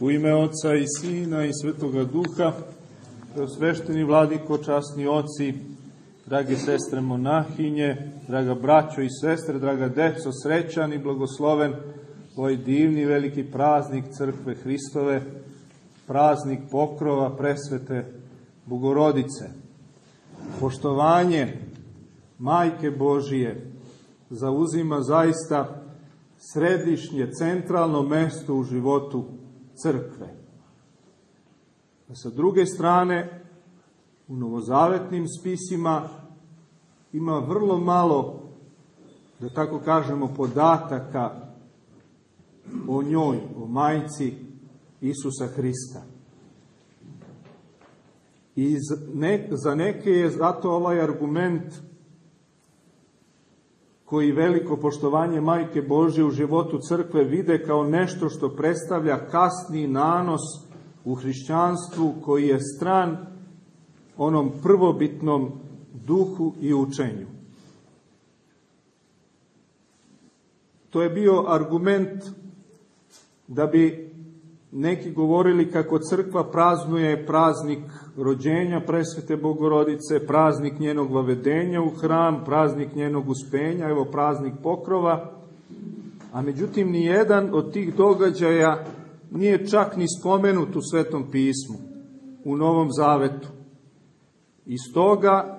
U ime Oca i Sina i Svetoga Duha, preosvešteni vladiko, časni oci, drage sestre monahinje, draga braćo i sestre, draga deco, srećan i blagosloven ovaj divni veliki praznik Crkve Hristove, praznik pokrova presvete Bogorodice. Poštovanje Majke Božije zauzima zaista središnje, centralno mesto u životu Crkve. A sa druge strane, u novozavetnim spisima ima vrlo malo, da tako kažemo, podataka o njoj, o majci Isusa Hrista. I za neke je zato ovaj argument koji veliko poštovanje Majke Božje u životu Crkve vide kao nešto što predstavlja kasni nanos u hrišćanstvu koji je stran onom prvobitnom duhu i učenju. To je bio argument da bi neki govorili kako Crkva praznuje praznik rođenja presvete Bogorodice, praznik njenog vavedenja u hram, praznik njenog uspenja, evo praznik pokrova, a međutim nijedan od tih događaja nije čak ni spomenut u Svetom pismu, u Novom Zavetu. I stoga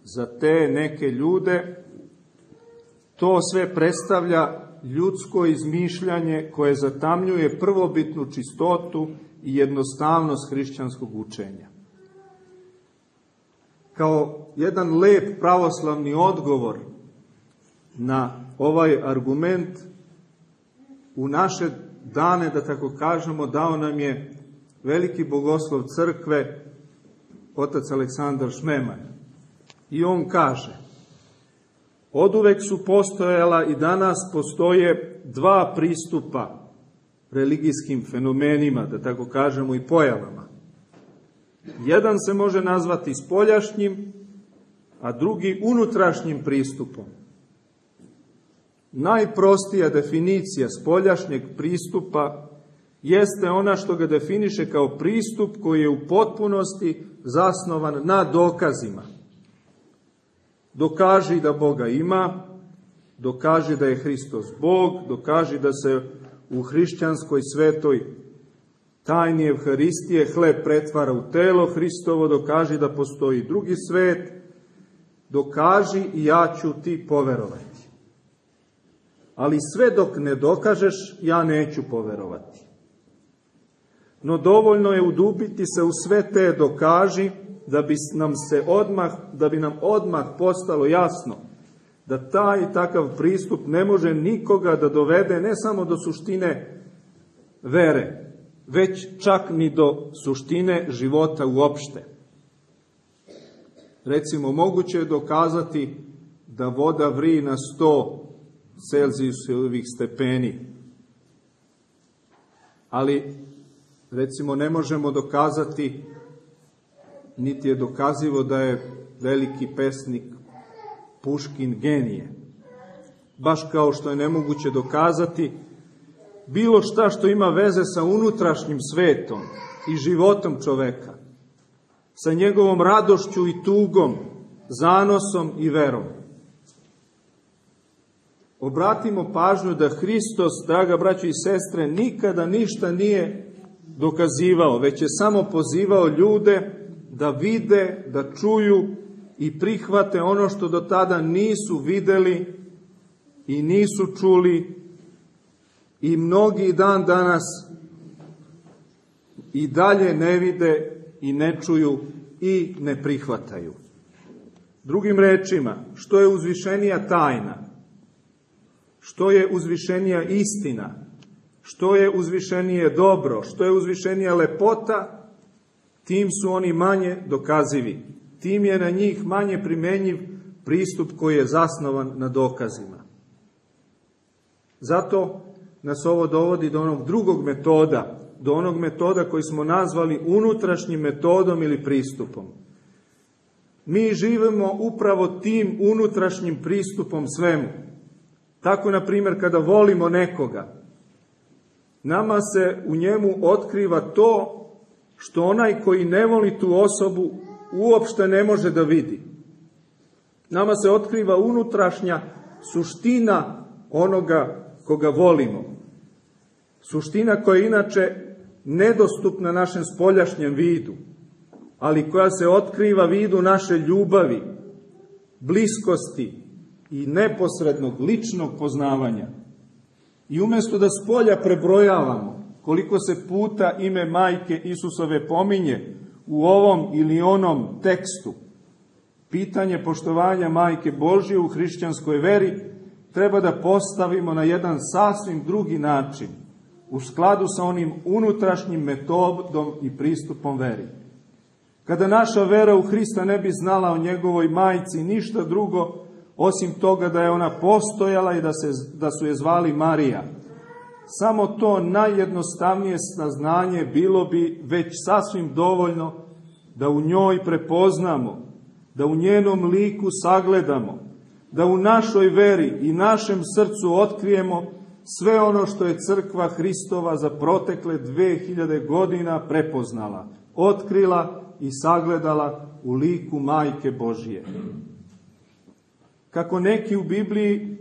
za te neke ljude to sve predstavlja ljudsko izmišljanje koje zatamljuje prvobitnu čistotu i jednostavnost hrišćanskog učenja. Kao jedan lep pravoslavni odgovor na ovaj argument, u naše dane, da tako kažemo, dao nam je veliki bogoslov Crkve, otac Aleksandar Šmemanj. I on kaže: oduvek su postojala i danas postoje dva pristupa religijskim fenomenima, da tako kažemo, i pojavama. Jedan se može nazvati spoljašnjim, a drugi unutrašnjim pristupom. Najprostija definicija spoljašnjeg pristupa jeste ona što ga definiše kao pristup koji je u potpunosti zasnovan na dokazima. Dokaži da Boga ima, dokaži da je Hristos Bog, dokaži da se u hrišćanskoj svetoj tajni Evharistije hleb pretvara u telo Hristovo, dokaži da postoji drugi svet, dokaži i ja ću ti poverovati. Ali sve dok ne dokažeš, ja neću poverovati. No dovoljno je udubiti se u sve te dokaži da bi nam odmah postalo jasno da taj i takav pristup ne može nikoga da dovede ne samo do suštine vere, već čak ni do suštine života uopšte. Recimo, moguće je dokazati da voda vrije na 100 Celzijusovih stepeni, ali recimo ne možemo dokazati, niti je dokazivo da je veliki pesnik Puškin genije. Baš kao što je nemoguće dokazati bilo šta što ima veze sa unutrašnjim svetom i životom čoveka, sa njegovom radošću i tugom, zanosom i verom. Obratimo pažnju da Hristos, draga braćo i sestre, nikada ništa nije dokazivao, već je samo pozivao ljude da vide, da čuju i prihvate ono što do tada nisu videli i nisu čuli, i mnogi dan danas i dalje ne vide i ne čuju i ne prihvataju. Drugim rečima, što je uzvišenija tajna, što je uzvišenija istina, što je uzvišenije dobro, što je uzvišenija lepota, tim su oni manje dokazivi. Tim je na njih manje primenjiv pristup koji je zasnovan na dokazima. Zato nas ovo dovodi do onog drugog metoda, do onog metoda koji smo nazvali unutrašnjim metodom ili pristupom. Mi živimo upravo tim unutrašnjim pristupom svemu. Tako, na primjer, kada volimo nekoga, Nama se u njemu otkriva to što onaj koji ne voli tu osobu uopšte ne može da vidi. Nama se otkriva unutrašnja suština onoga koga volimo. Suština koja je inače nedostupna našem spoljašnjem vidu, ali koja se otkriva vidu naše ljubavi, bliskosti i neposrednog ličnog poznavanja. I umjesto da spolja prebrojavamo koliko se puta ime Majke Isusove pominje u ovom ili onom tekstu, pitanje poštovanja Majke Božje u hrišćanskoj veri treba da postavimo na jedan sasvim drugi način, u skladu sa onim unutrašnjim metodom i pristupom veri. Kada naša vera u Hrista ne bi znala o njegovoj majci ništa drugo, osim toga da je ona postojala i da su je zvali Marija, samo to najjednostavnije saznanje bilo bi već sasvim dovoljno da u njoj prepoznamo, da u njenom liku sagledamo, da u našoj veri i našem srcu otkrijemo sve ono što je crkva Hristova za protekle 2000 godina prepoznala, otkrila i sagledala u liku Majke Božije. Kako neki u Bibliji,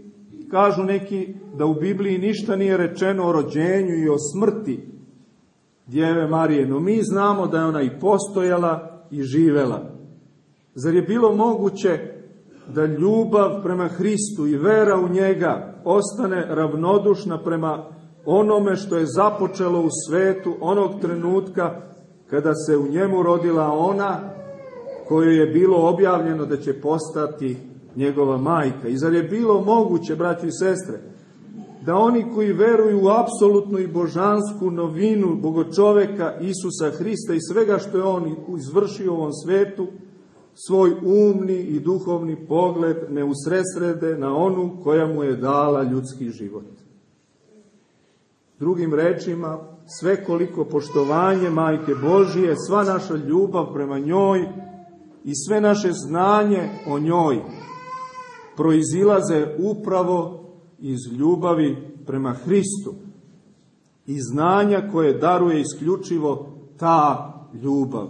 kažu neki da u Bibliji ništa nije rečeno o rođenju i o smrti Djeve Marije, no mi znamo da je ona i postojala i živela. Zar je bilo moguće da ljubav prema Hristu i vera u njega ostane ravnodušna prema onome što je započelo u svetu onog trenutka kada se u njemu rodila ona kojoj je bilo objavljeno da će postati njegova majka? I zar je bilo moguće, braći i sestre, da oni koji veruju u apsolutnu i božansku novinu bogočoveka Isusa Hrista i svega što je on izvršio u ovom svetu, svoj umni i duhovni pogled ne usredsrede na onu koja mu je dala ljudski život? Drugim rečima, svekoliko poštovanje Majke Božije, sva naša ljubav prema njoj i sve naše znanje o njoj proizilaze upravo iz ljubavi prema Hristu i znanja koje daruje isključivo ta ljubav.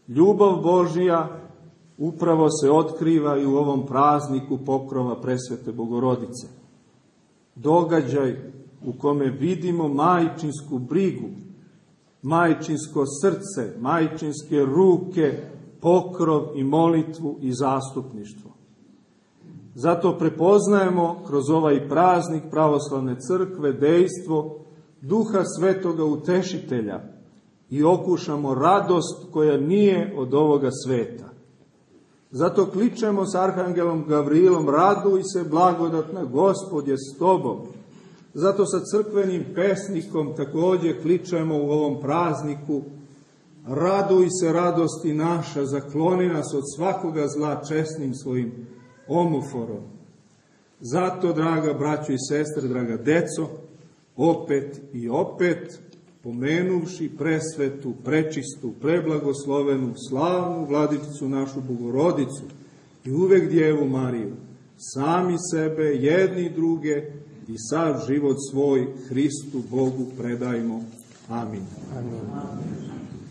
Ljubav Božja upravo se otkriva i u ovom prazniku pokrova Presvete Bogorodice. Događaj u kome vidimo majčinsku brigu, majčinsko srce, majčinske ruke, pokrov i molitvu i zastupništvo. Zato prepoznajemo kroz ovaj praznik pravoslavne crkve dejstvo Duha Svetoga Utešitelja i okušamo radost koja nije od ovoga sveta. Zato kličemo s arhangelom Gavrilom: raduj se, blagodatna, Gospod je s tobom. Zato sa crkvenim pesnikom također kličemo u ovom prazniku: raduj se, radosti naša, zakloni nas od svakoga zla česnim svojim omoforom. Zato, draga braćo i sestre, draga deco, opet i opet, pomenuvši presvetu, prečistu, preblagoslovenu, slavnu Vladicicu našu Bogorodicu i uvek Djevu Mariju, sami sebe, jedni druge i sav život svoj Hristu Bogu predajmo. Amin. Amin.